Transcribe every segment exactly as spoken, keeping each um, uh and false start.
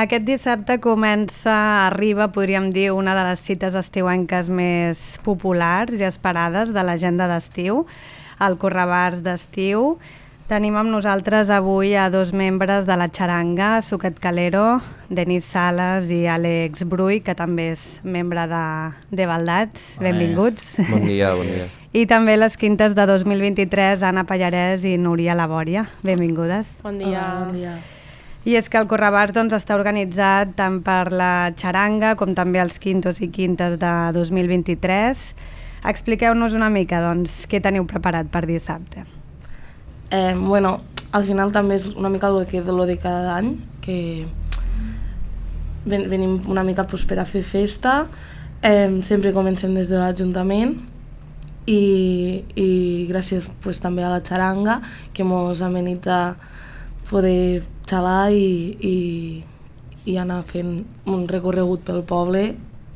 Aquest dissabte comença, arriba, podríem dir, una de les cites estiuenques més populars i esperades de l'agenda d'estiu, el Correbars d'estiu. Tenim amb nosaltres avui a dos membres de la xaranga, Suquet Calero, Denis Sales i Àlex Bruy, que també és membre de, de Baldats. Benvinguts. Bon dia, bon dia. I també les quintes de dos mil vint-i-tres, Anna Pallarès i Núria Labòria. Benvingudes. Bon dia. Hola, bon dia. I és que el Correbars doncs, està organitzat tant per la xaranga com també els quintos i quintes de dos mil vint-i-tres. Expliqueu-nos una mica doncs, què teniu preparat per dissabte. Eh, bueno, al final també és una mica el que de lo de cada any, que ven, venim una mica pues, per a fer festa, eh, sempre comencem des de l'Ajuntament i, i gràcies pues, també a la xaranga que ens amenitza poder xalar i, i, i anar fent un recorregut pel poble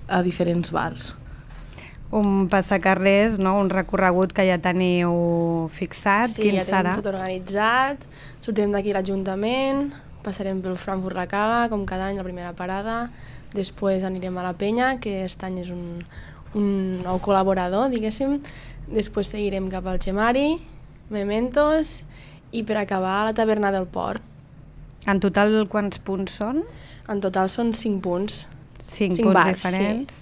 a diferents bars. Un passacarrers, no? Un recorregut que ja teniu fixat. Sí, Quin ja serà? tenim tot organitzat, sortirem d'aquí a l'Ajuntament, passarem pel Frankfurt la Cala, com cada any, la primera parada, després anirem a la Penya, que aquest any és un, un nou col·laborador, diguéssim, després seguirem cap al Xemari, Mementos, i per acabar a la Taverna del Port. En total quants punts són? En total són cinc punts. Cinc, Cinc punts bars, diferents. Sí.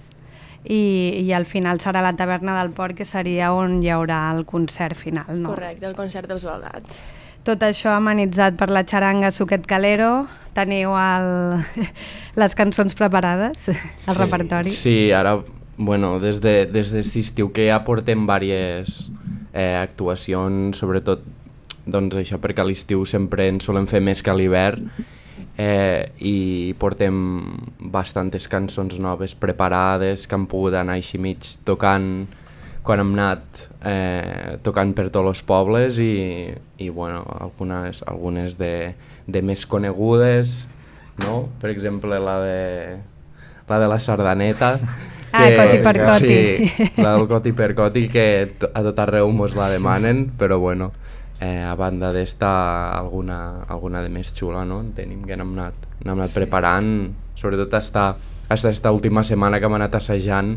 I, I al final serà la Taverna del Port, que seria on hi haurà el concert final, no? Correcte, el concert dels Baldats. Tot això amenitzat per la xaranga Suquet Calero. Teniu el... les cançons preparades, el sí, repertori? Sí, ara, bueno, des de, des d'aquest estiu que ja portem diverses eh, actuacions, sobretot doncs això perquè a l'estiu sempre en solem fer més que a l'hivern, eh, i portem bastantes cançons noves preparades que han pogut anar així mig tocant quan hem anat eh, tocant per tots els pobles i, i bueno, algunes, algunes de, de més conegudes, no? Per exemple la de la, de la sardaneta, ah, que, Coti per Coti. Sí, la del Coti per Coti, que a tot arreu mos la demanen, però bueno, Eh, a banda d'esta, alguna, alguna de més xula, no? Tenim que n'hem anat, n'hem anat preparant, sobretot esta, esta, esta última setmana que hem anat assajant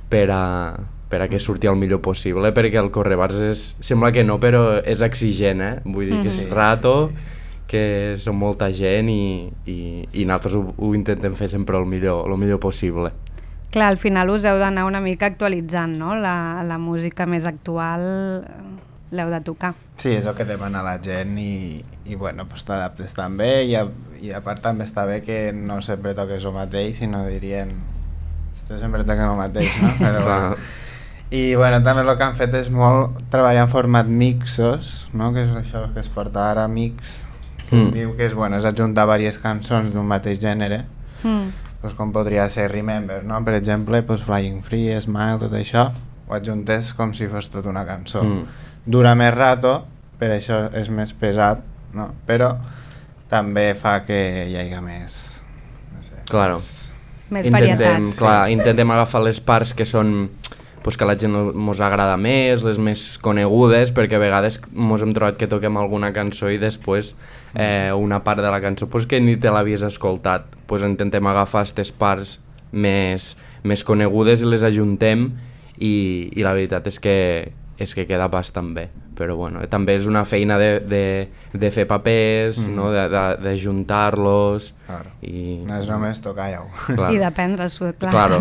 per a, per a que surti el millor possible, perquè el Correbars és, sembla que no, però és exigent, eh? Vull dir que és rato, que som molta gent i, i, i nosaltres ho, ho intentem fer sempre el millor, el millor possible. Clar, al final us heu d'anar una mica actualitzant, no? La, la música més actual l'heu de tocar. Sí, és el que demana la gent i, i bueno, pues t'adaptes també i a, i a part també està bé que no sempre toques el mateix, sinó dirien esto sempre toca el mateix, no? Però, bueno. I bueno, també el que han fet és molt treballar en format mixos, no? Que és això que es porta ara, mix, que mm. es diu que és, bueno, és ajuntar diverses cançons d'un mateix gènere, mm. pues com podria ser Remember, no? Per exemple, pues Flying Free, Smile, tot això, ho adjuntes com si fos tota una cançó. Mm. Dura més rato, per això és més pesat, no? Però també fa que hi hagi més... No sé, claro. Més intentem, varietats. clar, intentem agafar les parts que són pues, que a la gent mos agrada més, les més conegudes, perquè a vegades mos hem trobat que toquem alguna cançó i després eh, una part de la cançó pues, que ni te l'havies escoltat. Pues, intentem agafar aquestes parts més, més conegudes i les ajuntem i, i la veritat és que és que queda bastant bé, però bueno, també és una feina de, de, de fer papers, mm. no? de, de, de juntar-los. Claro. I no és només tocar-ho. Claro. I d'aprendre-s'ho, clar. Claro.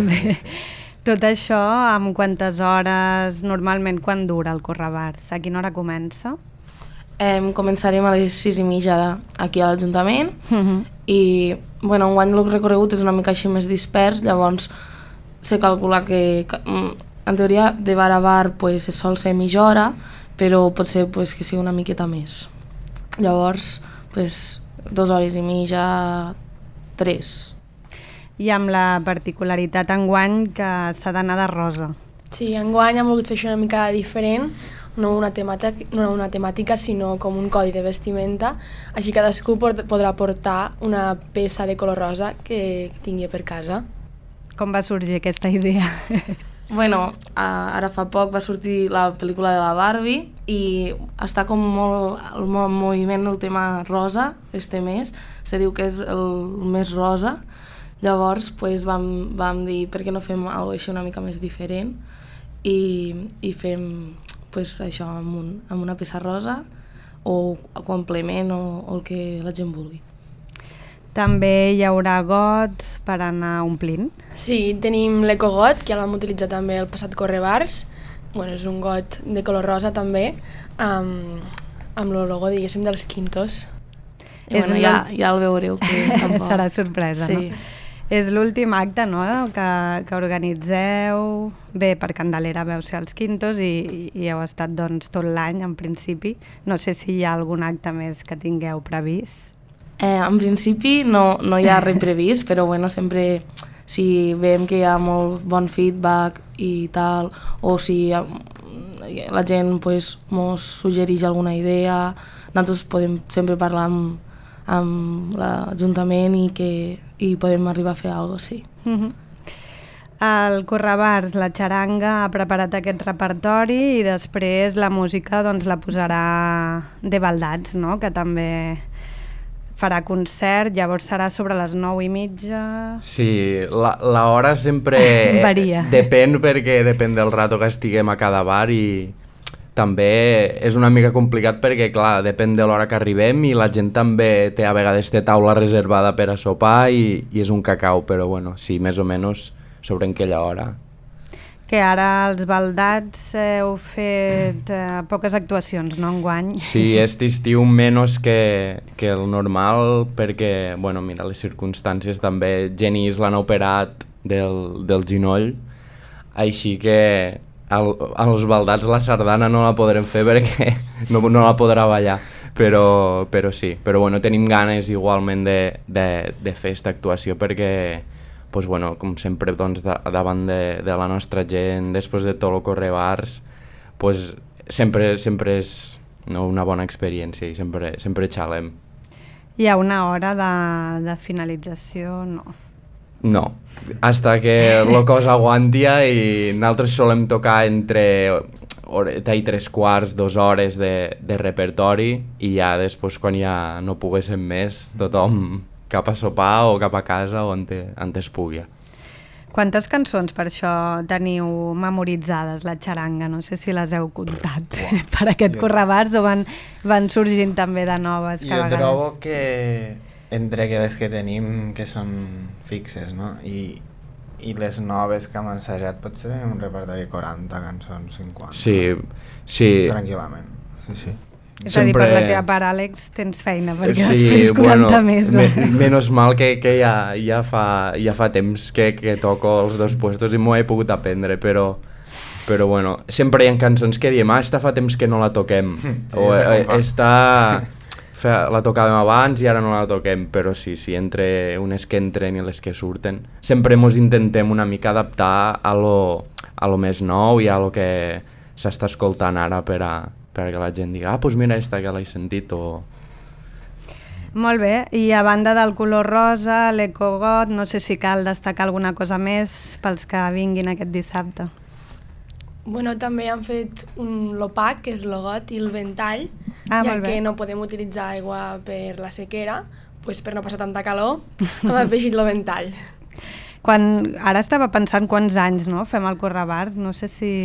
Tot això, amb quantes hores, normalment, quan dura el Correbars? A quina hora comença? Eh, començarem a les sis i mitja aquí a l'Ajuntament uh -huh. i bueno, enguany el recorregut és una mica així més dispers, llavors se calcula que... que en teoria, de bar a bar pues, sol ser mitja hora, però pot ser pues, que sigui una miqueta més. Llavors, pues, dues hores i mitja, tres. I amb la particularitat enguany que s'ha d'anar de rosa. Sí, enguany hem volgut fer això una mica diferent, no una temàtica, no una temàtica sinó com un codi de vestimenta, així cadascú podrà portar una peça de color rosa que tingui per casa. Com va sorgir aquesta idea? Bueno, ara fa poc va sortir la pel·lícula de la Barbie i està com molt el moviment el tema rosa este mes, se diu que és el més rosa, llavors pues, vam, vam dir per què no fem alguna cosa així una mica més diferent i, i fem pues, això amb, un, amb una peça rosa o complement o, o el que la gent vulgui. També hi haurà got per anar omplint. Sí, tenim l'ecogot, que ja el vam utilitzar també el passat Correbars. Bueno, és un got de color rosa també, amb, amb el logo, diguéssim, dels Quintos. I bueno, ja, ja el veureu. Que tampoc. Serà sorpresa, sí. No? És l'últim acte, no?, que, que organitzeu. Bé, per Candelera veu ser els Quintos i, i heu estat doncs, tot l'any, en principi. No sé si hi ha algun acte més que tingueu previst. Eh, en principi no, no hi ha res previst, però bueno, sempre si veiem que hi ha molt bon feedback i tal, o si la gent pues, mos suggereix alguna idea, nosaltres podem sempre parlar amb, amb l'Ajuntament i que i podem arribar a fer alguna cosa, sí. Mm-hmm. El Correbars, la xaranga, ha preparat aquest repertori i després la música doncs, la posarà de Baldats, no?, que també farà concert, llavors serà sobre les nou i mitja... Sí, l'hora sempre varia. Depèn perquè depèn del rato que estiguem a cada bar i també és una mica complicat perquè, clar, depèn de l'hora que arribem i la gent també té a vegades té taula reservada per a sopar i, i és un cacau, però bueno, sí, més o menys sobre aquella hora. Que ara els Baldats heu fet eh, poques actuacions, no, enguany? Sí, aquest estiu menys que, que el normal perquè, bueno, mira, les circumstàncies també, Genís l'han operat del, del ginoll, així que el, als Baldats la sardana no la podrem fer perquè no, no la podrà ballar, però, però sí, però bueno, tenim ganes igualment de, de, de fer aquesta actuació perquè pues bueno, com sempre doncs, da, davant de, de la nostra gent, després de tot el Correbars, pues, sempre, sempre és no, una bona experiència i sempre, sempre xalem. Hi ha una hora de, de finalització? No. No, hasta que la cosa aguantia i nosaltres solem tocar entre horeta i tres quarts, dues hores de, de repertori i ja després quan ja no poguéssim més, tothom cap a sopar o cap a casa o on, te, on es pugui. Quantes cançons per això teniu memoritzades, la xaranga? No sé si les heu comptat Uau. per aquest jo... Correbars o van, van sorgint també de noves jo cada vegada. Jo trobo que entre les que tenim que són fixes, no? I, i les noves que hem ensajat potser tenim un repertori de quaranta cançons, cinquanta. Sí, sí. Tranquil·lament, sí, sí. És sempre... a dir, per la teva part, Àlex, tens feina, perquè sí, després quaranta bueno, més. No? Me, menys mal que, que ja, ja, fa, ja fa temps que, que toco els dos puestos i m'ho he pogut aprendre, però, però bueno, sempre hi ha cançons que diem, ah, esta fa temps que no la toquem, sí, o eh, esta la tocàvem abans i ara no la toquem, però sí, sí, entre unes que entren i les que surten, sempre mos intentem una mica adaptar a lo, a lo més nou i a lo que s'està escoltant ara per a perquè la gent diga, ah, doncs mira esta que l'he sentit o... Molt bé, i a banda del color rosa, l'ecogot, no sé si cal destacar alguna cosa més pels que vinguin aquest dissabte. Bueno, també han fet un l'opac, que és l'ogot i el ventall, ah, ja que no podem utilitzar aigua per la sequera, doncs per no passar tanta calor, hem afegit el ventall. Quan, ara estava pensant quants anys no, fem el Correbars, no sé si...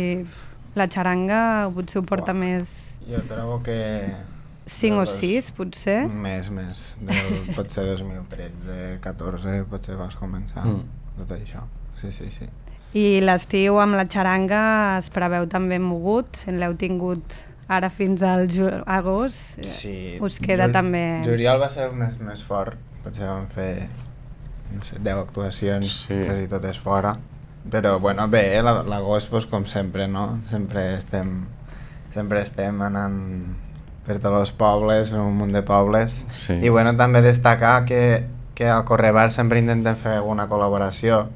La xaranga potser ho porta wow. més... Jo trobo que... cinc o sis, potser? Més, més. Del, potser dos mil tretze, catorze, potser vas començar mm. tot això. Sí, sí, sí. I l'estiu amb la xaranga es preveu també mogut? L'heu tingut ara fins al agost? Sí. Us queda Jul també... Juliol va ser més, més fort. Potser vam fer no sé, deu actuacions, sí. quasi totes fora. Però bueno, bé, l'agost pues, com sempre, no? Sempre estem, sempre estem anant per tots els pobles, un munt de pobles. Sí. I bueno, també destacar que, que al Correbars sempre intentem fer alguna col·laboració.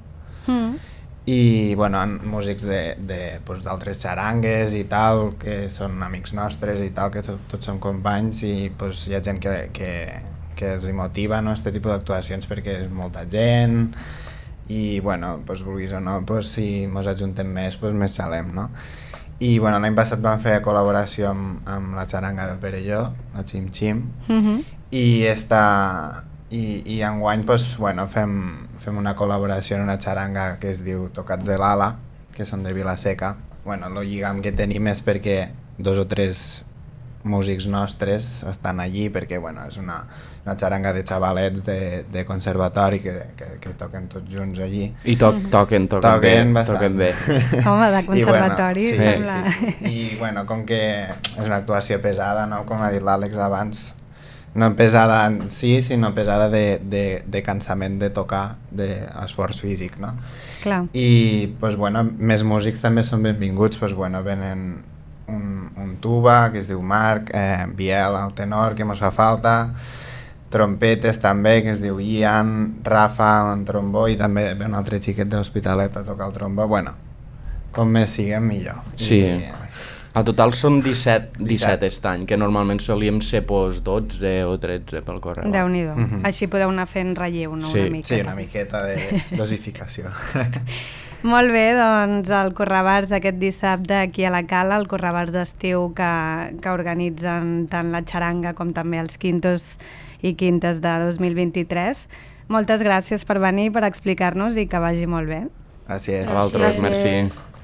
Mm. I bueno, músics d'altres pues, xarangues i tal, que són amics nostres i tal, que tot, tots som companys i pues, hi ha gent que, que, que es motiva, no?, este tipus d'actuacions perquè és molta gent i bueno, doncs, vulguis o no, doncs, si mos ajuntem més, doncs, més xalem, no? I bueno, l'any passat vam fer col·laboració amb, amb la xaranga del Perelló, la Xim Xim, Uh-huh. i, esta, i, i enguany doncs, bueno, fem, fem una col·laboració en una xaranga que es diu Tocats de l'Ala, que són de Vilaseca. Bueno, el lligam que tenim és perquè dos o tres músics nostres estan allí, perquè bueno, és una, una xaranga de xavalets de, de conservatori que, que, que toquen tots junts allí. I to toquen, toquen, Toquen bé, bastant. toquen bé. Home, de conservatori, I, bueno, sí, sembla. sí, sí. I bueno, com que és una actuació pesada, no? Com ha dit l'Àlex abans, no pesada en sí, sinó pesada de, de, de cansament de tocar, d'esforç físic, no? Clar. I pues, bueno, més músics també són benvinguts, pues, bueno, venen un, un tuba que es diu Marc, eh, Biel al tenor que mos fa falta, trompetes també que es diu Ian, Rafa en trombó i també ve un altre xiquet de l'Hospitalet a tocar el trombó. Bueno, com més siguem millor. Sí. I, A total són disset, disset aquest any, que normalment solíem ser pues, dotze o tretze pel correu. Déu-n'hi-do. Mhm. Així podeu anar fent relleu, no? Sí. Una mica. sí, una miqueta de dosificació. Molt bé, doncs el Correbars aquest dissabte aquí a la Cala, el Correbars d'estiu que, que organitzen tant la xaranga com també els quintos i quintes de dos mil vint-i-tres. Moltes gràcies per venir, per explicar-nos i que vagi molt bé. Gràcies. A vosaltres, merci.